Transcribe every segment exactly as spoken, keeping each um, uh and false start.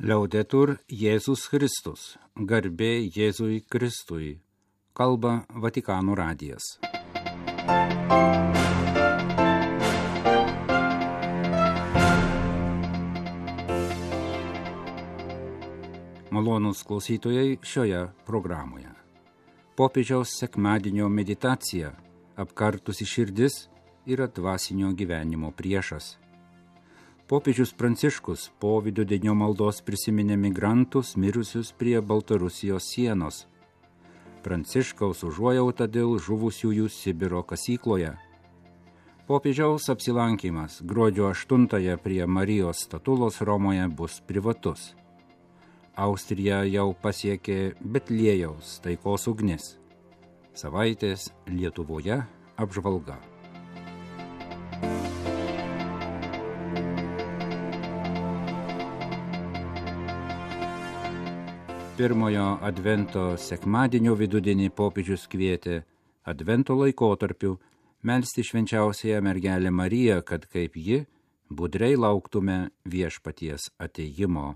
Liaudetur Jėzus Kristus, garbė Jėzui Kristui, kalba Vatikano radijas. Malonūs klausytojai šioje programoje. Popiežiaus sekmadienio meditacija, apkartusi širdis, yra dvasinio gyvenimo priešas. Popiežius Pranciškus po vidudienio maldos prisiminė migrantus mirusius prie Baltarusijos sienos. Pranciškaus užuojauta dėl žuvusiųjų Sibiro kasykloje. Popiežiaus apsilankymas gruodžio aštuntąją prie Marijos statulos Romoje bus privatus. Austrija jau pasiekė Betliejaus taikos ugnis. Savaitės Lietuvoje apžvalga. Pirmojo advento sekmadienio vidudienį popiežius kvietė advento laikotarpiu melsti švenčiausiąją mergelę Mariją, kad kaip ji budriai lauktume viešpaties atėjimo.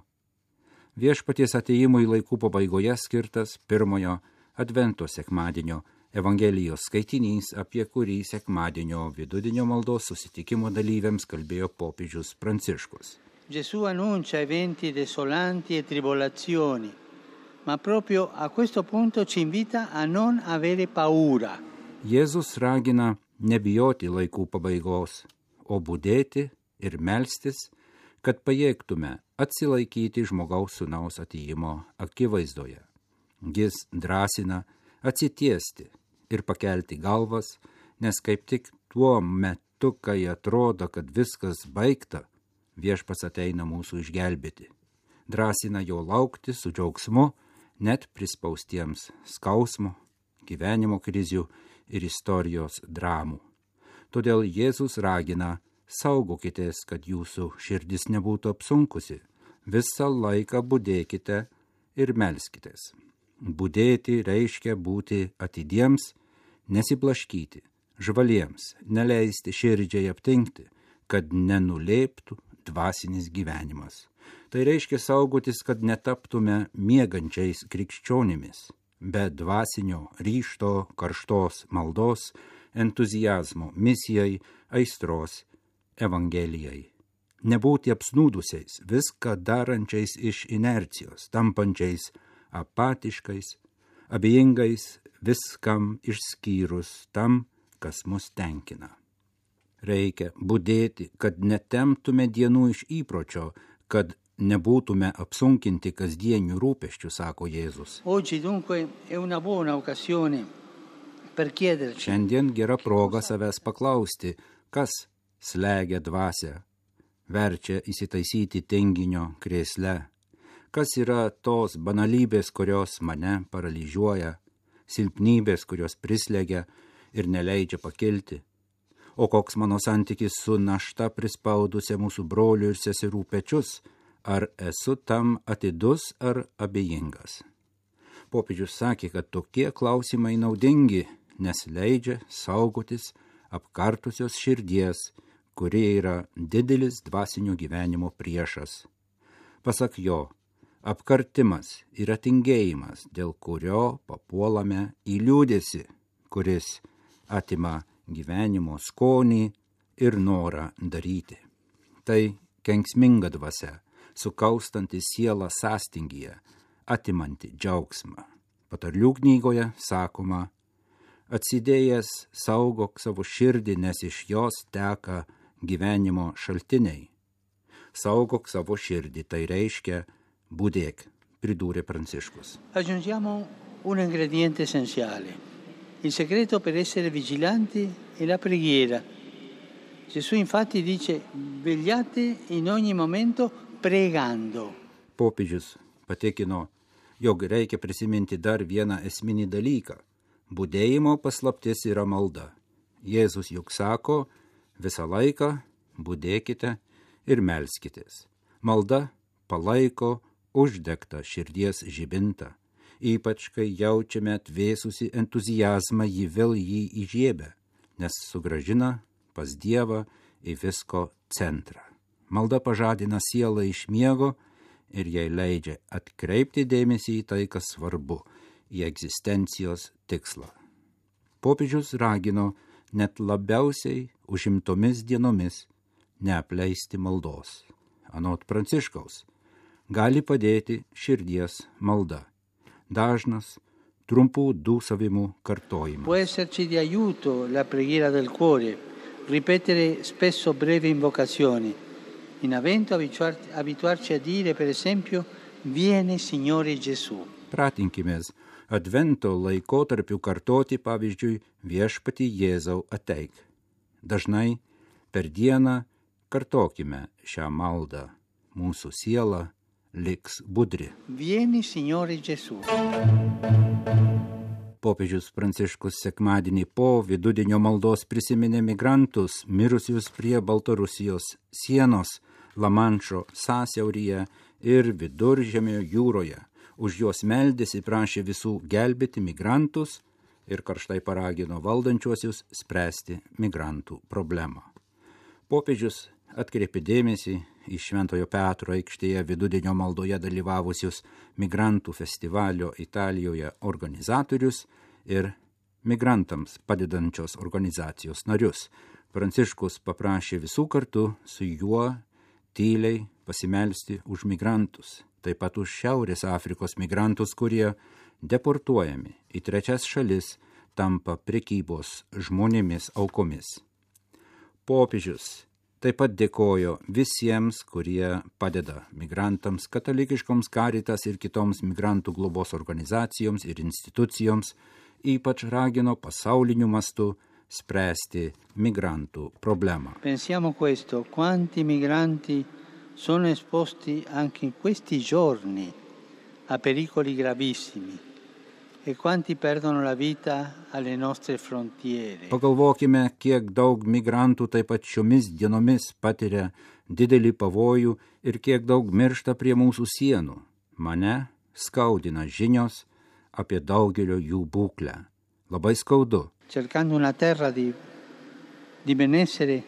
Viešpaties atėjimui laikų pabaigoje skirtas pirmojo advento sekmadienio Evangelijos skaitinys, apie kurį sekmadienio vidudienio maldos susitikimo dalyviams kalbėjo popiežius Pranciškus. Gesù annuncia eventi desolanti e tribolazioni, ma proprio a questo punto ci invita a non avere paura. Jėzus ragina nebijoti laikų pabaigos, o budėti ir melstis, kad pajėgtume atsilaikyti žmogaus sūnaus atėjimo akivaizdoje. Jis drąsina atsitiesti ir pakelti galvas, nes kaip tik tuo metu, kai atrodo, kad viskas baigta, viešpats ateina mūsų išgelbėti. Drąsina jo laukti su džiaugsmu, net prispaustiems skausmo, gyvenimo krizių ir istorijos dramų. Todėl Jėzus ragina, saugokitės, kad jūsų širdis nebūtų apsunkusi, visą laiką budėkite ir melskitės. Budėti reiškia būti atidiems, nesiblaškyti, žvaliems, neleisti širdžiai aptingti, kad nenulėptų dvasinis gyvenimas. Tai reiškia saugotis, kad netaptume miegančiais krikščionimis, be dvasinio ryžto, karštos maldos, entuzijazmo, misijai, aistros, evangelijai. Nebūti apsnūdusiais, viską darančiais iš inercijos, tampančiais apatiškais, abejingais, viskam išskyrus tam, kas mus tenkina. Reikia budėti, kad netemptume dienų iš įpročio, kad nebūtume apsunkinti kasdienių rūpesčių, sako Jėzus. Šiandien gera proga savęs paklausti, kas slegia dvasią, verčia įsitaisyti tinginio krėsle, kas yra tos banalybės, kurios mane paralyžiuoja, silpnybės, kurios prislegia ir neleidžia pakilti, o koks mano santykis su našta prispaudusia mūsų brolių ir seserų pečius, ar esu tam atidus ar abejingas. Popiežius sakė, kad tokie klausimai naudingi, nes leidžia saugotis apkartusios širdies, kurie yra didelis dvasinio gyvenimo priešas. Pasak jo, apkartimas yra tingėjimas, dėl kurio papuolame į liūdesį, kuris atima gyvenimo skonį ir norą daryti. Tai kenksminga dvasia, sukaustanti sielą sąstingyje, atimanti džiaugsmą. Patarlių knygoje sakoma, atsidėjęs saugok savo širdį, nes iš jos teka gyvenimo šaltiniai. Saugok savo širdį, tai reiškia budėk, pridūrė Pranciškus. Aggiungiamo un ingrediente essenziale. Il segreto per essere vigilanti è la preghiera. Gesù infatti dice, vegliate in ogni momento pregando. Popiežius patikino, jog reikia prisiminti dar vieną esminį dalyką. Budėjimo paslaptis yra malda. Jėzus juk sako, visą laiką budėkite ir melskitės. Malda palaiko uždegtą širdies žibintą. Ypač, kai jaučiame atvėsusi entuzijazmą, jį vėl jį įžiebia, nes sugrąžina pas Dievą į visko centrą. Malda pažadina sielą iš miego ir jai leidžia atkreipti dėmesį į tai, kas svarbu, į egzistencijos tikslą. Popiežius ragino net labiausiai užimtomis dienomis neapleisti maldos. Anot Pranciškaus, gali padėti širdies malda, dažnas trumpų dūsavimų kartojimas. Può esserci di aiuto la preghiera del cuore, ripetere spesso brevi invocazioni. In avvento abituar- abituarci a dire, per esempio, vieni Signore Gesù. Pratinkimės advento laikotarpiu kartoti, pavyzdžiui, viešpatį Jėzau ateik. Dažnai per dieną kartokime šią maldą. Mūsų siela liks budri. Vieni Signore Gesù. Popiežius Pranciškus sekmadienį po vidudienio maldos prisiminė migrantus mirusius prie Baltarusijos sienos, Lamanšo sąsiauryje ir Viduržemio jūroje. Už juos meldėsi, prašė visų gelbėti migrantus ir karštai paragino valdančiuosius spręsti migrantų problemą. Popiežius atkreipė dėmesį į Šventojo Petro aikštėje vidudienio maldoje dalyvavusius migrantų festivalio Italijoje organizatorius ir migrantams padedančios organizacijos narius. Pranciškus paprašė visų kartu su juo tyliai pasimelsti už migrantus, taip pat už Šiaurės Afrikos migrantus, kurie deportuojami į trečias šalis, tampa prekybos žmonėmis aukomis. Popiežius taip pat dėkojo visiems, kurie padeda migrantams, katalikiškoms Caritas ir kitoms migrantų globos organizacijoms ir institucijoms, ypač ragino pasauliniu mastu spręsti migrantų problemą. Pensiamo questo, quanti migranti sono esposti anche in questi giorni a pericoli gravissimi e quanti perdono la vita alle nostre frontiere. Pagalvokime, kiek daug migrantų taip pat šiomis dienomis patiria didelį pavojų ir kiek daug miršta prie mūsų sienų. Mane skaudina žinios apie daugelio jų būklę. Labai skaudu. Cercando una terra di, di benessere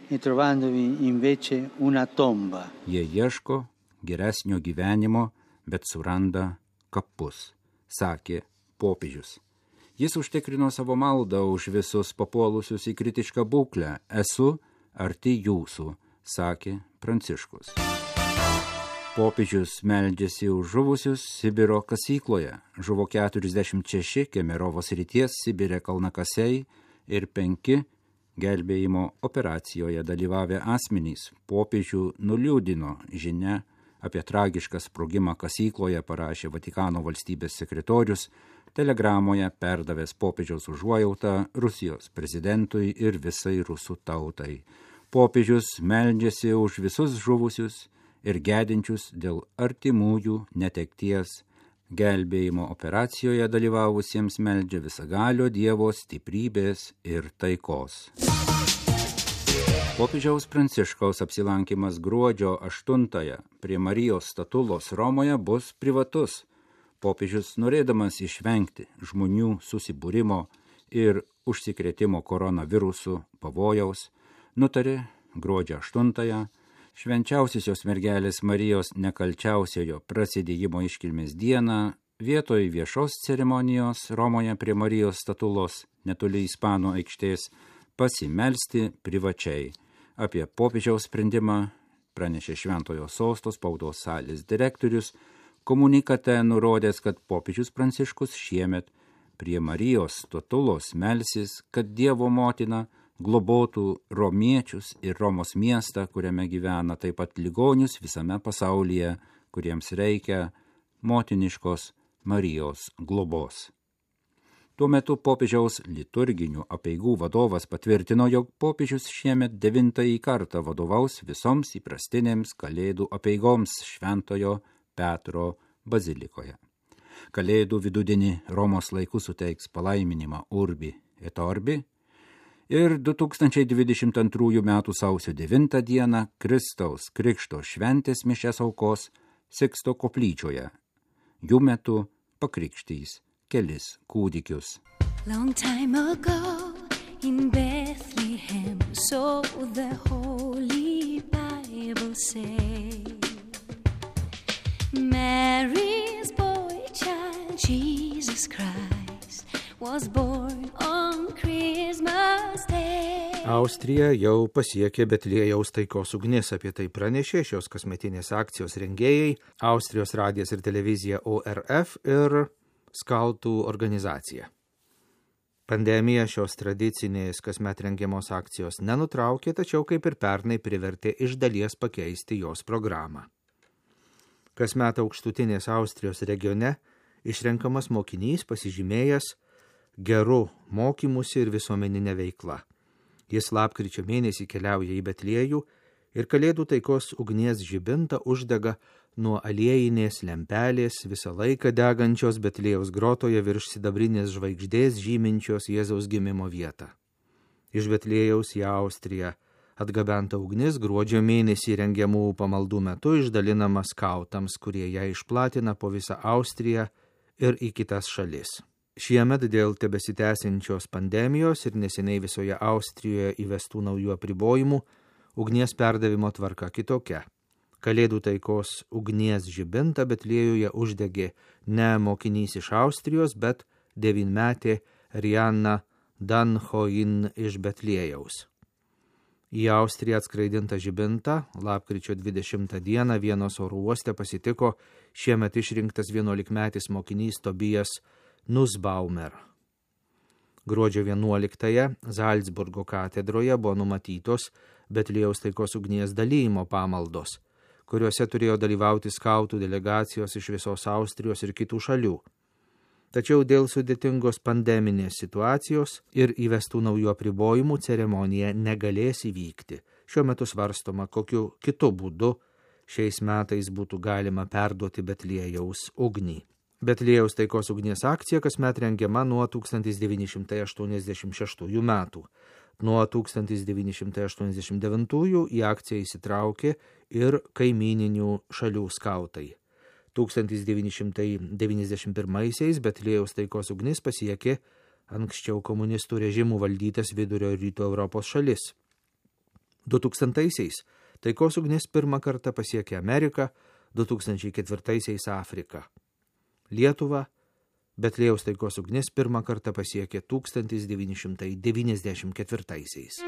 e trovandovi invece una tomba. Jie ieško geresnio gyvenimo, bet suranda kapus, sakė popiežius. Jis užtikrino savo maldą už visus papuolusius į kritišką būklę. Esu arti jūsų, sakė Pranciškus. Popiežius meldžiasi už žuvusius Sibiro kasykloje. Žuvo keturiasdešimt šeši Kemerovo srities Sibire kalnakasiai ir penki gelbėjimo operacijoje dalyvavę asmenys. Popiežių nuliūdino žinia apie tragišką sprogimą kasykloje, parašė Vatikano valstybės sekretorius, telegramoje perdavęs popiežiaus užuojautą Rusijos prezidentui ir visai rusų tautai. Popiežius meldžiasi už visus žuvusius ir gedinčius dėl artimųjų netekties. Gelbėjimo operacijoje dalyvavusiems meldžia visagalio Dievo stiprybės ir taikos. Popiežiaus Pranciškaus apsilankimas gruodžio aštuntąją prie Marijos statulos Romoje bus privatus. Popiežius, norėdamas išvengti žmonių susibūrimo ir užsikrėtimo koronavirusu pavojaus, nutarė gruodžio aštuntąją Švenčiausiosios mergelės Marijos nekalčiausiojo prasidėjimo iškilmės dieną vietoj viešos ceremonijos Romoje prie Marijos statulos netoli Ispanų aikštės pasimelsti privačiai. Apie popiežiaus sprendimą pranešė Šventojo sosto spaudos salės direktorius, komunikate nurodęs, kad popiežius Pranciškus šiemet prie Marijos statulos melsis, kad Dievo motina globotų romiečius ir Romos miestą, kuriame gyvena, taip pat ligonius visame pasaulyje, kuriems reikia motiniškos Marijos globos. Tuo metu popiežiaus liturginių apeigų vadovas patvirtino, jog popiežius šiemet devintąjį kartą vadovaus visoms įprastinėms kalėdų apeigoms Šventojo Petro bazilikoje. Kalėdų vidudienį Romos laiku suteiks palaiminimą Urbi et Orbi, ir du tūkstančiai dvidešimt antrųjų metų sausio devintą dieną Kristaus Krikšto šventės mišias aukos Siksto koplyčioje. Jų metu pakrikštys kelis kūdikius. Long time ago in Bethlehem, so the Holy Bible says, Mary's boy child, Jesus Christ, was born on Christmas Day. Austrija jau pasiekė Betliejaus taikos ugnis, apie tai pranešė šios kasmetinės akcijos rengėjai, Austrijos radijas ir televizija O R F ir skautų organizacija. Pandemija šios tradicinės kasmet rengiamos akcijos nenutraukė, tačiau kaip ir pernai privertė iš dalies pakeisti jos programą. Kasmet aukštutinės Austrijos regione išrenkamas mokinys pasižymėjęs geru mokymusi ir visuomeninė veikla. Jis lapkričio mėnesį keliauja į Betliejų ir Kalėdų taikos ugnies žibintą uždega nuo aliejinės lempelės visą laiką degančios Betliejaus grotoje virš sidabrinės žvaigždės žyminčios Jėzaus gimimo vietą. Iš Betliejaus į Austriją atgabenta ugnis gruodžio mėnesį rengiamų pamaldų metu išdalinama skautams, kurie ją išplatina po visą Austriją ir į kitas šalis. Šiemet dėl tebesitęsiančios pandemijos ir neseniai visoje Austrijoje įvestų naujų apribojimų, ugnies perdavimo tvarka kitokia. Kalėdų taikos ugnies žibintą Betliejuje uždegė ne mokinys iš Austrijos, bet devynmetė Rianna Danhoin iš Betliejaus. Į Austriją atskraidintą žibintą lapkričio dvidešimtą dieną Vienos oro uoste pasitiko šiemet išrinktas vienuolikmetis mokinys Tobijas Nussbaumer. Gruodžio vienuoliktąją Zalcburgo katedroje buvo numatytos Betliejaus taikos ugnies dalijimo pamaldos, kuriuose turėjo dalyvauti skautų delegacijos iš visos Austrijos ir kitų šalių. Tačiau dėl sudėtingos pandeminės situacijos ir įvestų naujų apribojimų ceremonija negalės įvykti. Šiuo metu svarstoma, kokiu kitu būdu šiais metais būtų galima perduoti Betliejaus ugnį. Betliejaus taikos ugnies akcija kasmet rengiama nuo tūkstantis devyni šimtai aštuoniasdešimt šeštųjų metų. Nuo tūkstantis devyni šimtai aštuoniasdešimt devintųjų į akciją įsitraukė ir kaimyninių šalių skautai. tūkstantis devyni šimtai devyniasdešimt pirmaisiais Betliejaus taikos ugnis pasiekė anksčiau komunistų režimų valdytas vidurio ir rytų Europos šalis. du tūkstantaisiais taikos ugnis pirmą kartą pasiekė Ameriką, du tūkstančiai ketvirtaisiais Afriką. Lietuvą Betliejaus taikos ugnis pirmą kartą pasiekė tūkstantis devyni šimtai devyniasdešimt ketvirtaisiais.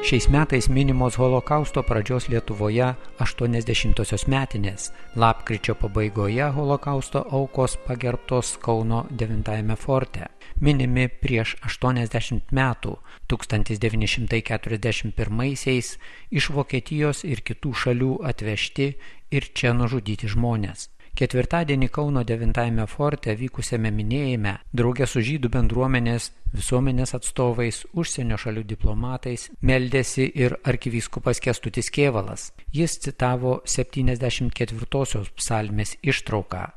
Šiais metais minimos holokausto pradžios Lietuvoje aštuoniasdešimtosios metinės. Lapkričio pabaigoje holokausto aukos pagerbtos Kauno devintajame forte. Minimi prieš aštuoniasdešimt metų, tūkstantis devyni šimtai keturiasdešimt pirmaisiais, iš Vokietijos ir kitų šalių atvežti ir čia nužudyti žmonės. Ketvirtadienį Kauno devintajame forte vykusiame minėjime drauge su žydų bendruomenės, visuomenės atstovais, užsienio šalių diplomatais meldėsi ir arkivyskupas Kęstutis Kėvalas. Jis citavo septyniasdešimt ketvirtosios psalmės ištrauką.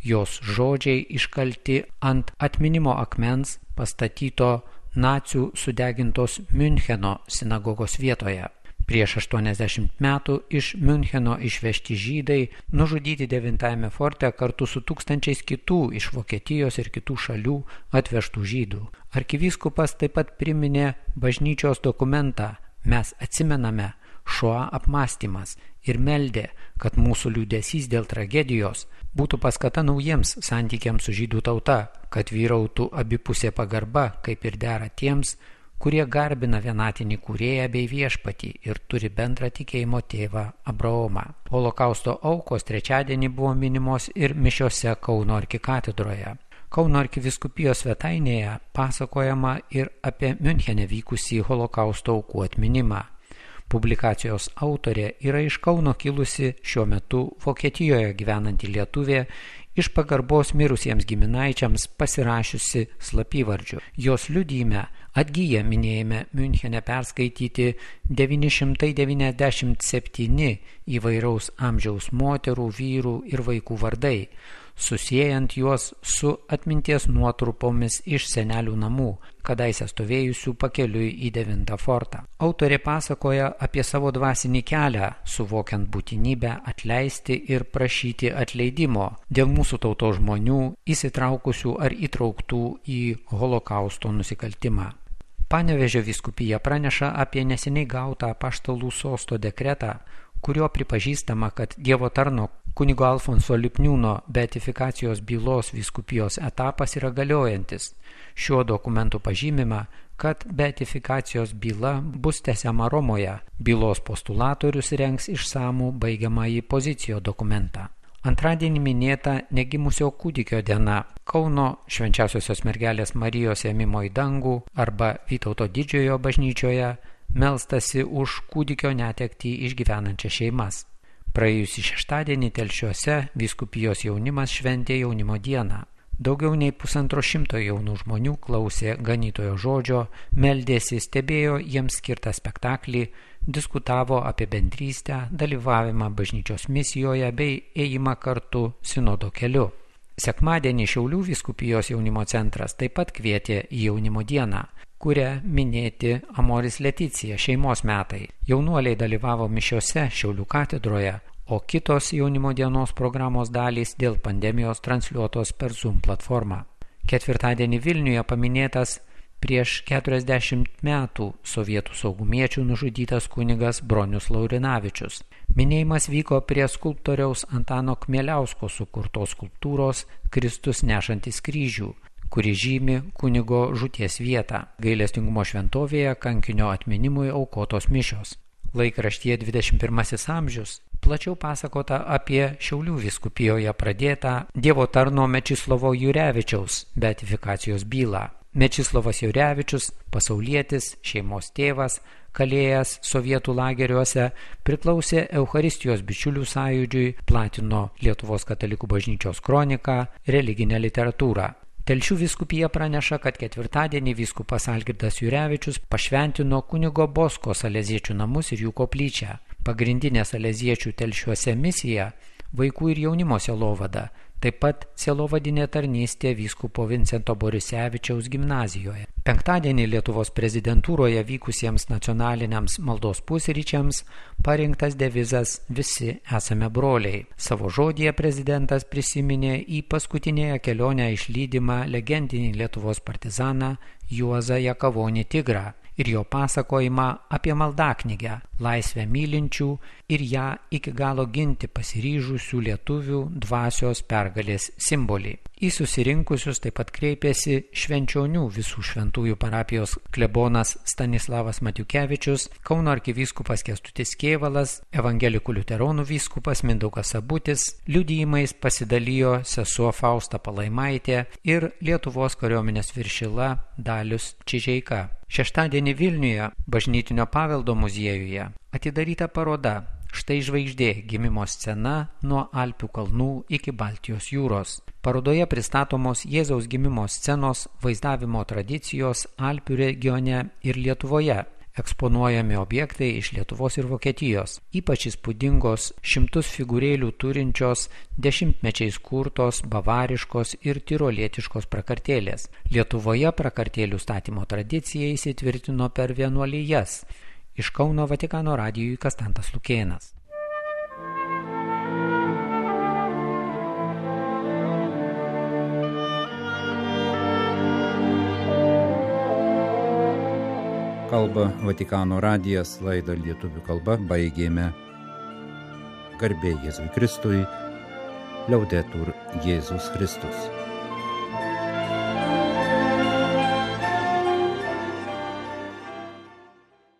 Jos žodžiai iškalti ant atminimo akmens pastatyto nacių sudegintos Miuncheno sinagogos vietoje. Prieš aštuoniasdešimt metų iš Miuncheno išvežti žydai nužudyti devintajame forte kartu su tūkstančiais kitų iš Vokietijos ir kitų šalių atvežtų žydų. Arkivyskupas taip pat priminė bažnyčios dokumentą Mes atsimename Šoa apmąstymas ir meldė, kad mūsų liūdesys dėl tragedijos būtų paskata naujiems santykiams su žydų tauta, kad vyrautų abipusė pagarba, kaip ir dera tiems, kurie garbina vienatinį kūrėją bei viešpatį ir turi bendrą tikėjimo tėvą Abraomą. Holokausto aukos trečiadienį buvo minimos ir mišiose Kauno arkikatedroje. Kauno arkivyskupijos svetainėje pasakojama ir apie Miunchene vykusį holokausto aukų atminimą. Publikacijos autorė yra iš Kauno kilusi šiuo metu Vokietijoje gyvenanti lietuvė, iš pagarbos mirusiems giminaičiams pasirašiusi slapyvardžiu. Jos liudijime atgyja minėjime Miunchene perskaityti devyni šimtai devyniasdešimt septyni įvairaus amžiaus moterų, vyrų ir vaikų vardai, susiejant juos su atminties nuotrupomis iš senelių namų, kadaise stovėjusių pakeliui į devintą fortą. Autorė pasakoja apie savo dvasinį kelią, suvokiant būtinybę atleisti ir prašyti atleidimo dėl mūsų tautos žmonių įsitraukusių ar įtrauktų į holokausto nusikaltimą. Panevėžio vyskupija praneša apie neseniai gautą apaštalų sosto dekretą, kurio pripažįstama, kad Dievo tarno kunigo Alfonso Lipniūno beatifikacijos bylos vyskupijos etapas yra galiojantis. Šiuo dokumentu pažymima, kad beatifikacijos byla bus tęsiama Romoje. Bylos postulatorius rengs išsamų baigiamąjį pozicijo dokumentą. Antradienį minėta negimusio kūdikio diena. Kauno Švenčiausiosios mergelės Marijos ėmimo į dangų arba Vytauto didžiojo bažnyčioje melstasi už kūdikio netektį išgyvenančias šeimas. Praėjusį šeštadienį Telšiuose vyskupijos jaunimas šventė jaunimo dieną. Daugiau nei pusantro šimto jaunų žmonių klausė ganytojo žodžio, meldėsi, stebėjo jiems skirtą spektaklį, diskutavo apie bendrystę, dalyvavimą bažnyčios misijoje bei ėjimą kartu sinodo keliu. Sekmadienį Šiaulių vyskupijos jaunimo centras taip pat kvietė į jaunimo dieną, kuria minėti Amoris Leticija šeimos metai. Jaunuoliai dalyvavo mišiose Šiaulių katedroje, o kitos jaunimo dienos programos dalys dėl pandemijos transliuotos per Zoom platformą. Ketvirtadienį Vilniuje paminėtas prieš keturiasdešimt metų sovietų saugumiečių nužudytas kunigas Bronius Laurinavičius. Minėjimas vyko prie skulptoriaus Antano Kmieliausko sukurtos skulptūros Kristus nešantis kryžių, kuri žymi kunigo žūties vietą. Gailestingumo šventovėje kankinio atminimui aukotos mišios. Laikraštyje dvidešimt pirmasis amžius plačiau pasakota apie Šiaulių vyskupijoje pradėtą Dievo tarno Mečislovo Jurevičiaus beatifikacijos bylą. Mečislovas Jurevičius, pasaulietis, šeimos tėvas, kalėjęs sovietų lageriuose, priklausė Eucharistijos bičiulių sąjūdžiui, platino Lietuvos katalikų bažnyčios kroniką, religinę literatūrą. Telšių vyskupija praneša, kad ketvirtadienį vyskupas Algirdas Jurevičius pašventino kunigo Bosko saleziečių namus ir jų koplyčią. Pagrindinė saleziečių Telšiuose misija – vaikų ir jaunimo sielovada, taip pat sielovadinė tarnystė vyskupo Vincento Borisevičiaus gimnazijoje. Penktadienį Lietuvos prezidentūroje vykusiems nacionaliniams maldos pusryčiams parinktas devizas Visi esame broliai. Savo žodyje prezidentas prisiminė į paskutinėje kelionę išlydimą legendinį Lietuvos partizaną Juozą Jakavonį Tigrą ir jo pasakojimą apie maldaknygę, laisvę mylinčių ir ją iki galo ginti pasiryžusių lietuvių dvasios pergalės simbolį. Į susirinkusius taip pat kreipėsi Švenčionių visų šventųjų parapijos klebonas Stanislavas Matiukevičius, Kauno arkivyskupas Kęstutis Kėvalas, evangelikų liuteronų vyskupas Mindaugas Sabutis, liudijimais pasidalijo sesuo Fausta Palaimaitė ir Lietuvos kariuomenės viršila Dalius Čižeika. Šeštadienį Vilniuje bažnytinio paveldo muziejuje atidaryta paroda Štai žvaigždė gimimo scena nuo Alpių kalnų iki Baltijos jūros. Parodoje pristatomos Jėzaus gimimo scenos vaizdavimo tradicijos Alpių regione ir Lietuvoje. Eksponuojami objektai iš Lietuvos ir Vokietijos, ypač įspūdingos šimtus figūrėlių turinčios dešimtmečiais kurtos bavariškos ir tirolietiškos prakartėlės. Lietuvoje prakartėlių statymo tradicija įsitvirtino per vienuolijas. Iš Kauno Vatikano radijui Kastantas Lukėnas. Kalba Vatikano radijas, laidą lietuvių kalba baigėme. Garbė Jėzui Kristui, Liaudetur Jėzus Kristus.